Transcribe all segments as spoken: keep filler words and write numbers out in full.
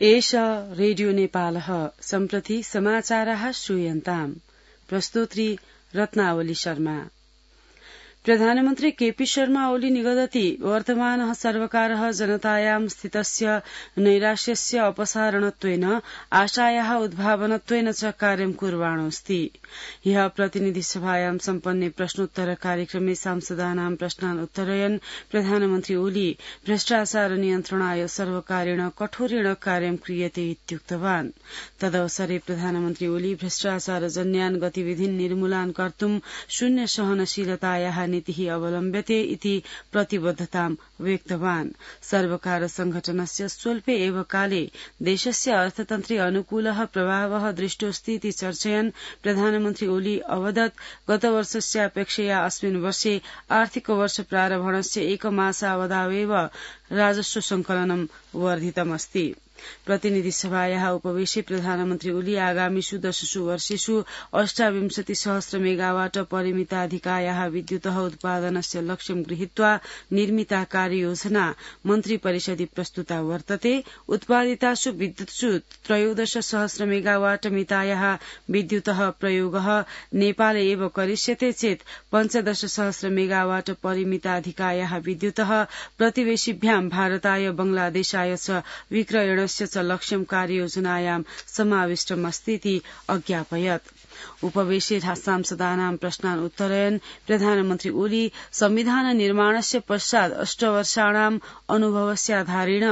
एष रेडियो नेपालः सम्प्रति समाचाराः श्रूयन्ताम्। प्रस्तोत्री रत्नावली शर्मा। प्रधानमन्त्री केपी शर्मा ओली निगदति वर्तमानः सर्वकारः जनतायां स्थितस्य नैराश्यस्य अपसारणत्वेन आशायाः उद्भावनत्वेन च कार्यं कुर्वाणोऽस्ति। ह्यः प्रतिनिधिसभायां सम्पन्ने प्रश्नोत्तर कार्यक्रमे सांसदानां प्रश्नान् उत्तरयन् प्रधानमन्त्री ओली भ्रष्टाचार नियन्त्रणाय सर्वकारेण कठोरेण कार्यं क्रियते इत्युक्तवान्। तदवसरे प्रधानमन्त्री ओली भ्रष्टाचारजन्यान् गतिविधीन् निर्मूलान् कर्तुं शून्य सहनशीलतायाः नीतिः अवलम्ब्यते इति प्रतिबद्धतां व्यक्तवान्। सर्वकार संघटनस्य स्वल्पे एव काले देशस्य अर्थतन्त्रे अनुकूलः प्रभावः दृष्टोऽस्ति इति चर्चयन् प्रधानमन्त्री ओली अवदत् गतवर्षस्यापेक्षया अस्मिन् वर्षे आर्थिकवर्ष प्रारम्भणस्य एकमासावधावेव राजस्व संकलनं वर्धितमस्ति। प्रतिनिधिसभायाः उपवेशे प्रधानमन्त्री ओली आगामिषु दशसु वर्षेषु अष्टाविंशति सहस्र मेगावाट परिमिताधिकायाः विद्युतः उत्पादनस्य लक्ष्यं गृहीत्वा निर्मिता कार्ययोजना मन्त्रिपरिषदि प्रस्तुता वर्तते। उत्पादितासु विद्युत्सु त्रयोदश सहस्र मेगावाट मितायाः विद्युतः प्रयोगः नेपाले एव करिष्यते चेत् पञ्चदश सहस्र मेगावाट परिमिताधिकायाः विद्युतः प्रतिवेशिभ्यां भारताय बंगलादेशाय च विक्रयण च लक्ष्यं कार्ययोजनायां समाविष्टमस्तीति अज्ञापयत्। उपवेशे सांसदानां प्रश्नान् उत्तरयन् प्रधानमन्त्री ओली संविधान निर्माणस्य पश्चात् अष्टवर्षाणाम् अनुभवस्याधारेण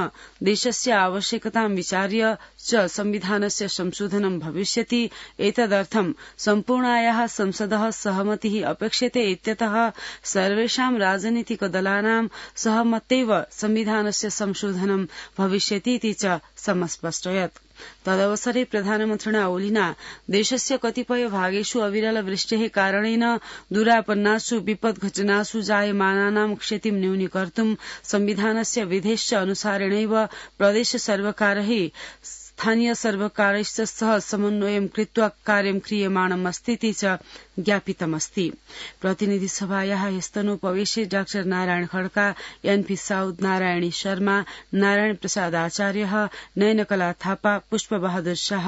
देशस्य आवश्यकतां विचार्य च संविधानस्य संशोधनं भविष्यति। एतदर्थं सम्पूर्णायाः संसदः सहमतिः अपेक्षते इत्यतः सर्वेषां राजनीतिकदलानां सहमत्यैव संविधानस्य संशोधनं भविष्यति इति च समस्पष्टयत्। तदवसरे प्रधानमन्त्रिणा ओलिना देशस्य कतिपय भागेषु अविरल वृष्टेः कारणेन दुरापन्नासु विपद्घटनासु जायमानानां क्षतिं न्यूनीकर्तुं संविधानस्य विधेश्च अनुसारेणैव प्रदेश सर्वकारैः स्थानीय सर्वकारैश्च सह समन्वयं कृत्वा कार्यं क्रियमाणमस्तीति च ज्ञापितमस्ति। प्रतिनिधिसभायाः स्तनोपवेशे डाक्टर नारायण खड्का, एनपी साउद, नारायणी शर्मा, नारायण प्रसाद आचार्य, नयनकला थापा, पुष्पबहादुर शाह,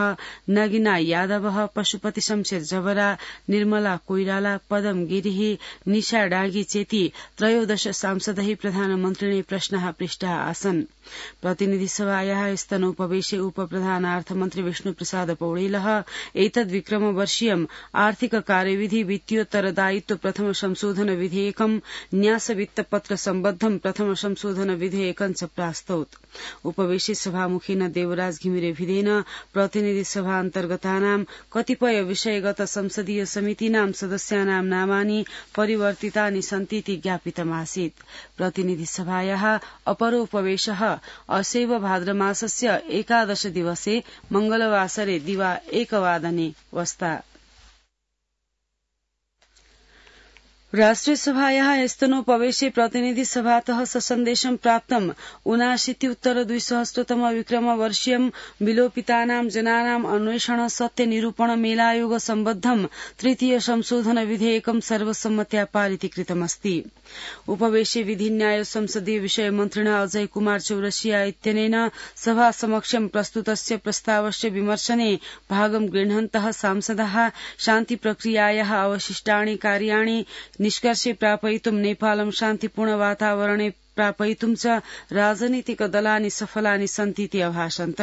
नगिना यादव, पशुपति शमशेर जवरा, निर्मला कोइराला, पदम गिरिह, निशा डागी चेती त्रयोदश सांसदैः प्रधानमन्त्रिणे प्रश्नाः पृष्टाः आसन्। प्रतिनिधिसभायाः स्तनोपवेशे उपप्रधानार्थमन्त्री विष्णुप्रसाद पौडेलः एतद्विक्रमवर्षीयम् आर्थिक कार्यविधि वित्तीयोत्तरदायित्व प्रथम संशोधन विधेयकं न्यास वित्तपत्र सम्बद्धं प्रथम संशोधन विधेयकं च प्रास्तौत्। उपवेशे सभामुखेन देवराज घिमिरे भिदेन प्रतिनिधि सभा अन्तर्गतानां कतिपय विषयगत संसदीय समितीनां सदस्यानां नामानि परिवर्तितानि सन्तीति ज्ञापितमासीत्। प्रतिनिधि सभायाः अपरोपवेशः असैव भाद्रमासस्य एकादश दिवसे मंगलवासरे दिवा एकवादने वस्ता। राष्ट्रियसभायाः स्तनोपवेशे प्रतिनिधिसभातः ससन्देशं प्राप्तम् ऊनाशीत्युत्तर द्विसहस्रतम विक्रमवर्षीयं विलोपितानां जनानाम् अन्वेषण सत्य निरूपण मेलायोग सम्बद्धं तृतीय संशोधन विधेयकं सर्वसम्मत्या पारितीकृतमस्ति। उपवेशे विधिन्याय संसदीय विषय मन्त्रिणा अजय कुमार चौरसिया इत्यनेन सभा समक्षं प्रस्तुतस्य प्रस्तावस्य विमर्शने भागं गृह्णन्तः सांसदाः शान्ति प्रक्रियायाः अवशिष्टानि कार्याणि निष्कर्षे प्रापयितुं नेपालं शान्तिपूर्ण वातावरणे प्रापयितुं च राजनीतिक दलानि सफलानि सन्तीति अभाषन्त।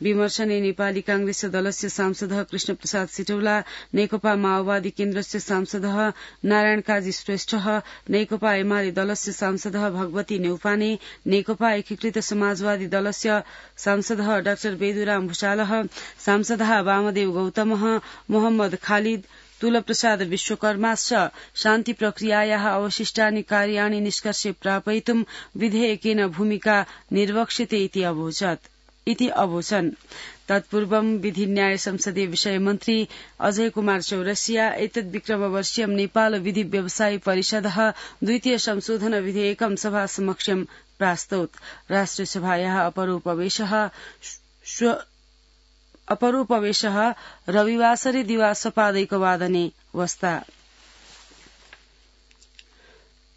विमर्शने नेपाली कांग्रेस दलस्य सांसदः कृष्णप्रसाद सिटौला, नेकपा माओवादी केन्द्रस्य सांसदः नारायण काजी श्रेष्ठः, नेकपा एमाले दलस्य सांसदः भगवती नेउपाने, नेकपा एकीकृत समाजवादी दलस्य सांसदः डाक्टर बेदुराम भूषालः, सांसदः वामदेव गौतमः, मोहम्मद खालिद, तुलप्रसाद विश्वकर्माश्च शान्ति प्रक्रियायाः अवशिष्टानि कार्याणि निष्कर्षे प्रापयितुं विधेयकेन भूमिका निर्वक्ष्यते इति अवोचत् इति अवोचन्। तत्पूर्वं विधिन्याय संसदीय विषय मन्त्री अजय कुमार चौरसिया एतद्विक्रमवर्षीयं नेपाल विधि व्यवसायी परिषदः द्वितीय संशोधन विधेयकं सभा समक्षं प्रास्तौत्। राष्ट्रियसभायाः अपरोपवेशः अपरोपवेशः रविवासरे दिवा सपादैकवादने वस्ता।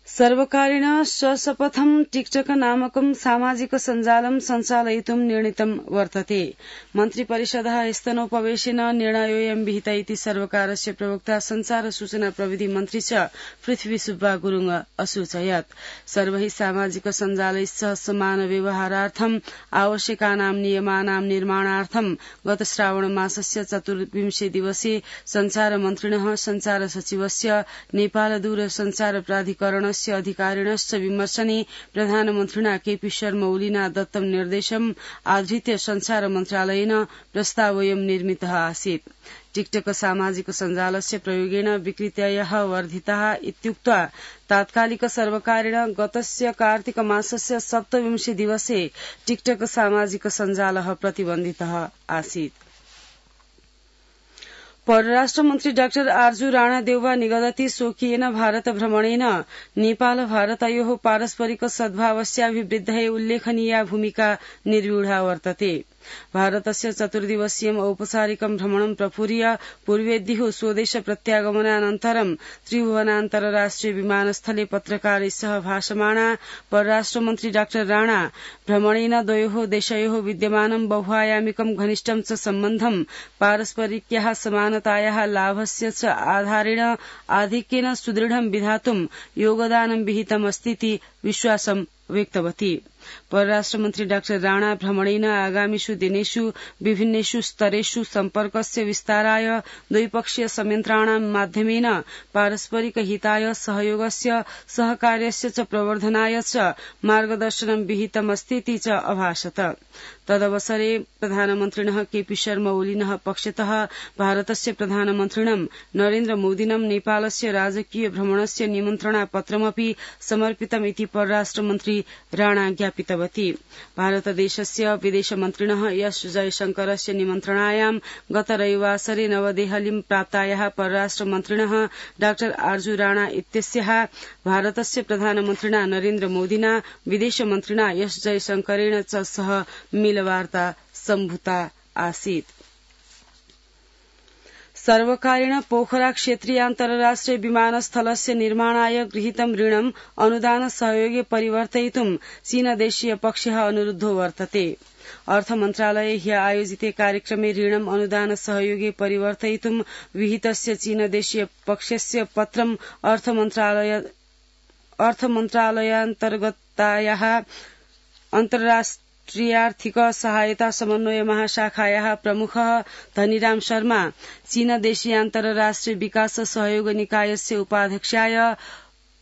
सर्वकारेण सशपथं टिकटक नामकं सामाजिक सञ्जालं सञ्चालयितुं निर्णीतं वर्तते। मन्त्रिपरिषदः स्तनोपवेशेन निर्णयोऽयं विहित इति सर्वकारस्य प्रवक्ता संचार सूचना प्रविधि मन्त्री च पृथ्वी सुब्बा गुरुङ असूचयत्। सर्वैः सामाजिक सञ्जालैस्सह समान व्यवहारार्थम् आवश्यकानां नियमानां निर्माणार्थं गत श्रावण मासस्य चतुर्विंशे दिवसे संचार मन्त्रिणः संचार सचिवस्य नेपाल दूरसञ्चार प्राधिकरण अधिकारिणश्च विमर्शने प्रधानमन्त्रिणा केपी शर्मा ओलीना दत्तं निर्देशम् आधृत्य संचार मन्त्रालयेन प्रस्तावोऽयं निर्मितः आसीत्। टिकटक सामाजिक सञ्जालस्य प्रयोगेण विकृतयः वर्धिताः इत्युक्त्वा तात्कालिक सर्वकारेण गतस्य कार्तिक मासस्य सप्तविंशे दिवसे टिकटक सामाजिक सञ्जालः प्रतिबन्धितः आसीत्। परराष्ट्र मन्त्री डाक्टर आर्जू राणा देउवा निगदति स्वकीयेन भारत भ्रमणेन नेपाल भारतयोः पारस्परिक सद्भावस्याभिवृद्धये उल्लेखनीया भूमिका निर्व्यूढा वर्तते। भारतस्य चतुर्दिवसीयम् औपचारिकं भ्रमणं प्रपूर्य पूर्वेद्युः स्वदेश प्रत्यागमनानन्तरं त्रिभुवनान्तरराष्ट्रिय विमानस्थले पत्रकारैः सह भाषमाणा परराष्ट्रमन्त्री डाक्टर राणा भ्रमणेन द्वयोः देशयोः विद्यमानं बहुआयामिकं घनिष्ठं च सम्बन्धं पारस्परिक्याः समानतायाः लाभस्य च आधारेण आधिक्येन सुदृढं विधातुं योगदानं विहितमस्तीति विश्वासं व्यक्तवती। परराष्ट्रमन्त्री डाक्टर राणा भ्रमणेन आगामिषु दिनेषु विभिन्नेषु स्तरेषु सम्पर्कस्य विस्ताराय द्विपक्षीय संयन्त्रणां माध्यमेन पारस्परिक हिताय सहयोगस्य सहकार्यस्य च प्रवर्धनाय च मार्गदर्शनं विहितमस्तीति च अभाषत। तदवसरे प्रधानमन्त्रिणः केपी शर्मा ओलीनः पक्षतः भारतस्य प्रधानमन्त्रिणं नरेन्द्र मोदिनं नेपालस्य राजकीय भ्रमणस्य निमन्त्रणापत्रमपि समर्पितमिति परराष्ट्रमन्त्री राणा ज्ञापितवती। भारतदेशस्य विदेशमन्त्रिणः एस जयशंकरस्य निमन्त्रणायां गत रविवासरे नवदेहलीं प्राप्तायाः परराष्ट्रमन्त्रिणः डाक्टर आर्जू राणा इत्यस्याः भारतस्य प्रधानमन्त्रिणा नरेन्द्र मोदिना विदेशमन्त्रिणा एस जयशंकरेण च सह मिलवार्ता सम्भूता आसीत्। सर्वकारेण पोखरा क्षेत्रीयान्तरराष्ट्रिय विमानस्थलस्य निर्माणाय गृहीतं ऋणम् अनुदान सहयोगे परिवर्तयितुं चीनदेशीय पक्षः अनुरुद्धो वर्तते। अर्थमन्त्रालये ह्य आयोजिते कार्यक्रमे ऋणम् अनुदान सहयोगे परिवर्तयितुं विहितस्य चीनदेशीय पक्षस्य पत्रम् अर्थमन्त्रालयान्तर्गतायाः अन्तर्राष्ट्रियार्थिक सहायता समन्वय महाशाखायाः प्रमुखः धनीराम शर्मा चीनदेशीयान्तरराष्ट्रिय विकास सहयोग निकायस्य उपाध्यक्षाय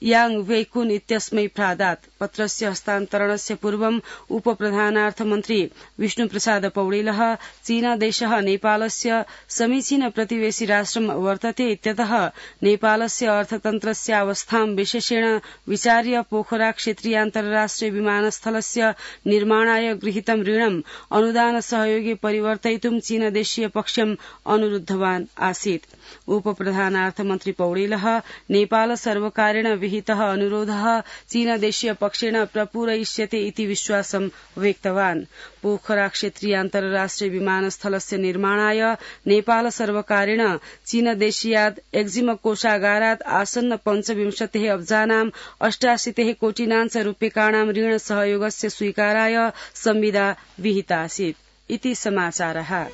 यांग वेकुन इत्यस्मै प्रादात्। पत्रस्य हस्तान्तरणस्य पूर्वम् उपप्रधानार्थमन्त्री विष्णुप्रसाद पौडेलः चीनदेशः नेपालस्य समीचीन प्रतिवेशी राष्ट्रं वर्तते इत्यतः नेपालस्य अर्थतन्त्रस्यावस्थां विशेषेण विचार्य पोखरा क्षेत्रीयान्तरराष्ट्रिय विमानस्थलस्य निर्माणाय गृहीतं ऋणम् अनुदान सहयोगे परिवर्तयितुं चीनदेशीय पक्षम् अनुरुद्धवान् आसीत्। उपप्रधानार्थमन्त्री पौडेलः नेपाल सर्वकारेण विहितः अनुरोधः चीनदेशीय पक्षेण प्रपूरयिष्यते इति विश्वासं व्यक्तवान्। पोखरा क्षेत्रीयान्तरराष्ट्रिय विमानस्थलस्य निर्माणाय नेपाल सर्वकारेण चीनदेशीयात् एक्जिम कोषागारात् आसन्न पञ्चविंशतिः अब्जानां अष्टाशीतिः कोटिनां च रूप्यकाणां ऋण सहयोगस्य स्वीकाराय संविदा विहिता आसीत् इति समाचारः।